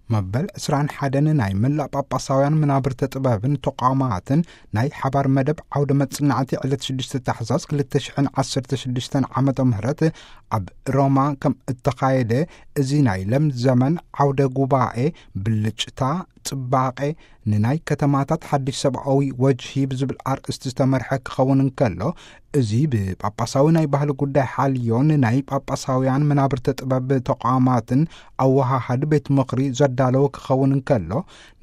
መበል ዕስራን ሓደን ናይ መላእ ጳጳሳውያን መናብርተ ጥበብን ተቋማትን ናይ ሓባር መደብ ዓውደ መጽናዕቲ ዕለት ሽዱሽተ ታሕሳስ ክልተ ሽሕን ዓሰርተ ሽዱሽተን ዓመተ ምህረት ኣብ ሮማ ከም እተኻየደ፣ እዚ ናይ ለም ዘመን ዓውደ ጉባኤ ብልጭታ፣ ጽባቐ፣ ንናይ ከተማታት ሓድሽ ሰብኣዊ ወጅሂ ብዝብል ኣርእስቲ ዝተመርሐ ክኸውን እንከሎ፣ እዚ ብጳጳሳዊ ናይ ባህሊ ጉዳይ ሓልዮን ናይ ጳጳሳውያን መናብርተ ጥበብ ተቋማትን ኣወሃሃዲ ቤት ምኽሪ ዘዳለወ ክኸውን እንከሎ፣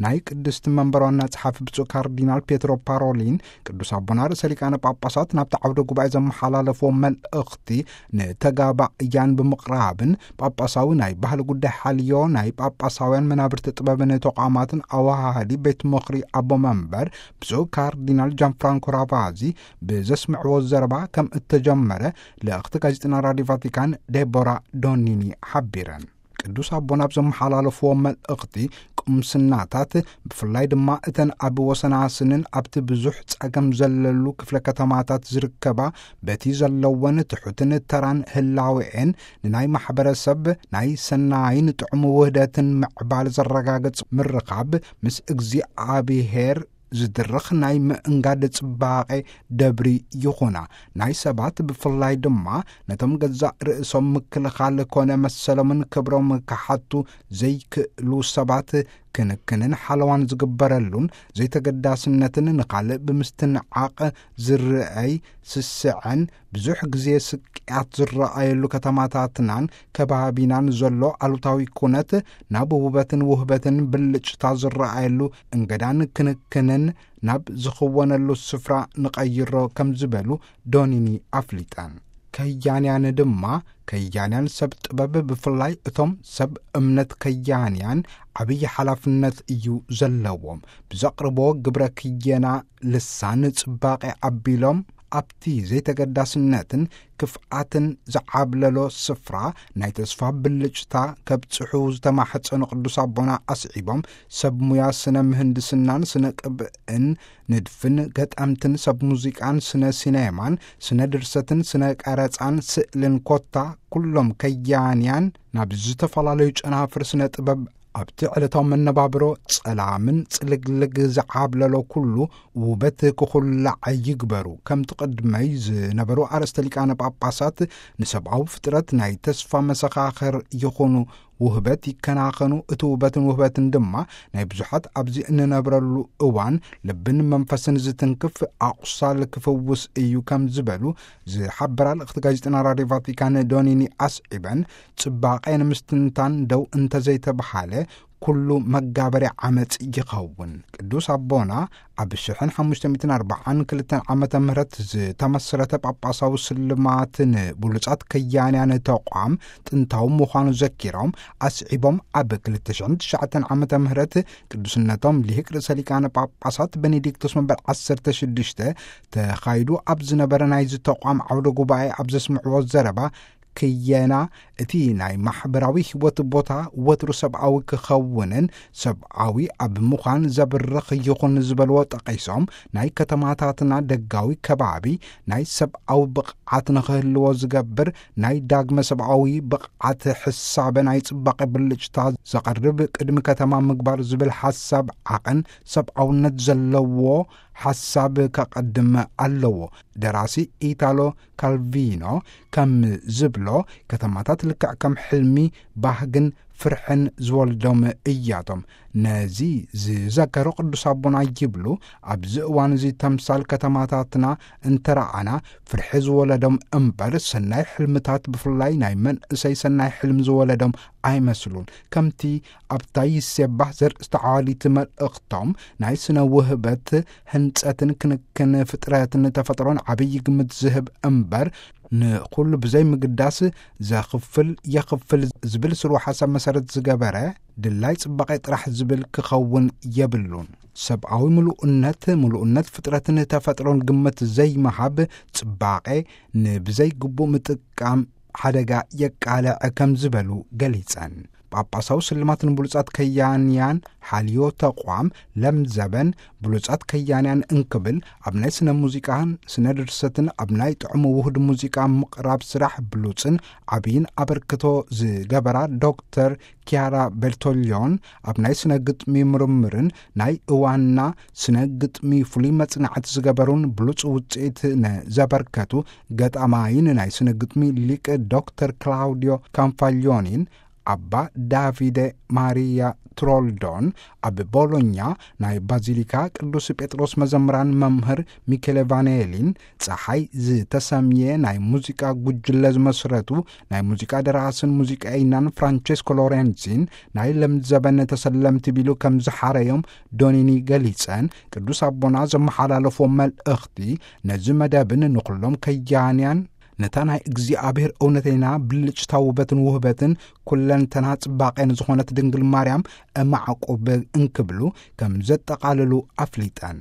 ናይ ቅድስቲ መንበር ዋና ጸሓፊ ብፁዕ ካርዲናል ፔትሮ ፓሮሊን ቅዱስ ኣቦና ርእሰ ሊቃነ ጳጳሳት ናብቲ ዓውደ ጉባኤ ዘመሓላለፍዎ መልእኽቲ ንተጋባእያን ብምቕራብን፣ ጳጳሳዊ ናይ ባህሊ ጉዳይ ሓልዮ ናይ ጳጳሳውያን መናብርቲ ጥበብን ተቋማትን ኣወሃሃዲ ቤት ምኽሪ ኣቦ መንበር ብፁዕ ካርዲናል ጃን ፍራንኮ ራቫዚ ብዘስምዕዎ ዘረባ ከም እተጀመረ ልእኽቲ ጋዜጠና ራዲዮ ቫቲካን ዴቦራ ዶኒኒ ሓቢረን። ቅዱስ ኣቦና ኣብ ዘመሓላለፍዎ መልእኽቲ፣ ቁምስናታት ብፍላይ ድማ እተን ኣብ ወሰናስንን ኣብቲ ብዙሕ ጸገም ዘለሉ ክፍለ ከተማታት ዝርከባ፣ በቲ ዘለወን ትሑትን ተራን ህላዌኤን ንናይ ማሕበረሰብ ናይ ሰናይን ጥዑም ውህደትን ምዕባል ዘረጋግጽ ምርኻብ ምስ እግዚኣብሔር ዝድርኽ ናይ ምእንጋድ ጽባቐ ደብሪ ይኹና። ናይ ሰባት ብፍላይ ድማ ነቶም ገዛእ ርእሶም ምክልኻል ኮነ መሰሎምን ክብሮም ክሓቱ ዘይክእሉ ሰባት ክንክንን ሓለዋን ዝግበረሉን ዘይተገዳስነትን ንኻልእ ብምስትንዓቕ ዝረኣይ ስስዐን ብዙሕ ግዜ ስቅያት ዝረኣየሉ ከተማታትናን ከባቢናን ዘሎ ኣሉታዊ ኩነት ናብ ውበትን ውህበትን ብልጭታ ዝረኣየሉ እንገዳን ክንክንን ናብ ዝኽወነሉ ስፍራ ንቐይሮ ከም ዝበሉ ዶኒኒ ኣፍሊጠን። ከያንያን ድማ፣ ከያንያን ሰብ ጥበብ ብፍላይ እቶም ሰብ እምነት ከያንያን ዓብዪ ሓላፍነት እዩ ዘለዎም። ብዘቕርቦ ግብረ ክየና ልሳን ጽባቐ ኣቢሎም ኣብቲ ዘይተገዳስነትን ክፍኣትን ዝዓብለሎ ስፍራ ናይ ተስፋ ብልጭታ ከብጽሑ ዝተማሕጸኑ ቅዱስ ኣቦና ኣስዒቦም፣ ሰብ ሙያ ስነ ምህንድስናን ስነ ቅብእን፣ ንድፍን፣ ገጠምትን፣ ሰብ ሙዚቃን፣ ስነ ሲኔማን፣ ስነ ድርሰትን፣ ስነ ቀረጻን፣ ስእልን ኮታ ኩሎም ከያንያን ናብ ዝተፈላለዩ ጨናፍር ስነ ጥበብ ኣብቲ ዕለታዊ መነባብሮ ጸላምን ጽልግልግ ዝዓብለሎ ኩሉ ውበት ክኹላዕ ይግበሩ። ከምቲ ቅድመይ ዝነበሩ ኣርእስተ ሊቃነ ጳጳሳት ንሰብኣዊ ፍጥረት ናይ ተስፋ መሰኻኽር ይኹኑ፣ ውህበት ይከናኸኑ፣ እቲ ውበትን ውህበትን ድማ ናይ ብዙሓት ኣብዚ እንነብረሉ እዋን ልብን መንፈስን ዝትንክፍ ኣቑሳል ክፍውስ እዩ ከም ዝበሉ ዝሓበራ ልእኽቲ ጋዜጠና ራድዮ ቫቲካን ዶኒኒ ኣስዒበን፣ ጽባቐ ንምስትንታን ደው እንተዘይተብሃለ ኩሉ መጋበርያ ዓመጽ ይኸውን። ቅዱስ ኣቦና ኣብ ሽሕን ሓሙሽተ ሚእትን ኣርባዓን ክልተን ዓመተ ምህረት ዝተመስረተ ጳጳሳዊ ስልማት ንብሉጻት ከያንያን ተቋም ጥንታዊ ምዃኑ ዘኪሮም፣ ኣስዒቦም ኣብ ክልተ ሽሕን ትሽዓተን ዓመተ ምህረት ቅዱስነቶም ሊቅ ርእሰ ሊቃነ ጳጳሳት ቤኔዲክቶስ መበል ዓሰርተ ሽዱሽተ ተኻይዱ ኣብ ዝነበረ ናይዚ ተቋም ዓውደ ጉባኤ ኣብ ዘስምዕዎ ዘረባ፣ ክየና እቲ ናይ ማሕበራዊ ህይወት ቦታ ወትሩ ሰብኣዊ ክኸውንን ሰብኣዊ ኣብ ምዃን ዘብርኽ ይኹን ዝበልዎ ጠቒሶም፣ ናይ ከተማታትና ደጋዊ ከባቢ ናይ ሰብኣዊ ብቕዓት ንኽህልዎ ዝገብር ናይ ዳግመ ሰብኣዊ ብቕዓት ሕሳበ ናይ ጽባቐ ብልጭታ ዘቐርብ ቅድሚ ከተማ ምግባር ዝብል ሓሳብ ዓቐን ሰብኣውነት ዘለዎ ሓሳብ ከቐድም ኣለዎ። ደራሲ ኢታሎ ካልቪኖ ከም ዝብሎ፣ ከተማታት ልክዕ ከም ሕልሚ፣ ባህግን ፍርሕን ዝወልዶም እያቶም። ነዚ ዝዘከሩ ቅዱስ ኣቦና ይብሉ፣ ኣብዚ እዋን እዚ ተምሳል ከተማታትና እንተረኣና፣ ፍርሒ ዝወለዶም እምበር፣ ሰናይ ሕልምታት፣ ብፍላይ ናይ መንእሰይ ሰናይ ሕልም ዝወለዶም ኣይመስሉን። ከምቲ ኣብታ ይሴባህ ዘርእስታ ዓዋሊት መልእኽቶም፣ ናይ ስነ ውህበት፣ ህንጸትን ክንክን ፍጥረትን ተፈጥሮን ዓብዪ ግምት ዝህብ እምበር፣ ንኹሉ ብዘይ ምግዳስ ዘኽፍል የኽፍል ዝብል ስሩዕ ሓሳብ መሰረት ዝገበረ ድላይ ጽባቐ ጥራሕ ዝብል ክኸውን የብሉን። ሰብኣዊ ምሉእነት፣ ምሉእነት ፍጥረትን ተፈጥሮን ግምት ዘይምሃብ፣ ጽባቐ ንብዘይ ግቡእ ምጥቃም ሓደጋ የቃልዕ ከም ዝበሉ ገሊጸን። ጳጳሳዊ ስልማት ንብሉጻት ከያንያን ሓልዮ ተቋም ለምዘበን ብሉጻት ከያንያን እንክብል፣ ኣብ ናይ ስነ ሙዚቃን ስነ ድርሰትን ኣብ ናይ ጥዑም ውሁድ ሙዚቃ ምቕራብ ስራሕ ብሉጽን ዓብይን ኣበርክቶ ዝገበራ ዶክተር ኪያራ ቤርቶሊዮን፣ ኣብ ናይ ስነ ግጥሚ ምርምርን ናይ እዋንና ስነ ግጥሚ ፍሉይ መጽናዕቲ ዝገበሩን ብሉጽ ውጽኢት ንዘበርከቱ ገጣማይን ናይ ስነ ግጥሚ ሊቅ ዶክተር ክላውዲዮ ካንፋሊዮኒን ኣባ ዳቪደ ማሪያ ትሮልዶን፣ ኣብ ቦሎኛ ናይ ባዚሊካ ቅዱስ ጴጥሮስ መዘምራን መምህር ሚኬሌ ቫኔሊን፣ ጸሓይ ዝተሰምየ ናይ ሙዚቃ ጉጅለ ዝመስረቱ ናይ ሙዚቃ ደራስን ሙዚቀኛን ፍራንቸስኮ ሎሬንዚን፣ ናይ ለምዘበን ተሰለምቲ ቢሉ ከም ዝሓረዮም ዶኒኒ ገሊጸን፣ ቅዱስ ኣቦና ዘመሓላለፎ መልእኽቲ ነዚ መደብን ንኹሎም ከያንያን ነታ ናይ እግዚኣብሔር እውነተይና ብልጭታ ውበትን ውህበትን ኩለንተና ጽባቄን ዝኾነት ድንግል ማርያም እማዕቁብ እንክብሉ ከም ዘጠቓልሉ ኣፍሊጠን።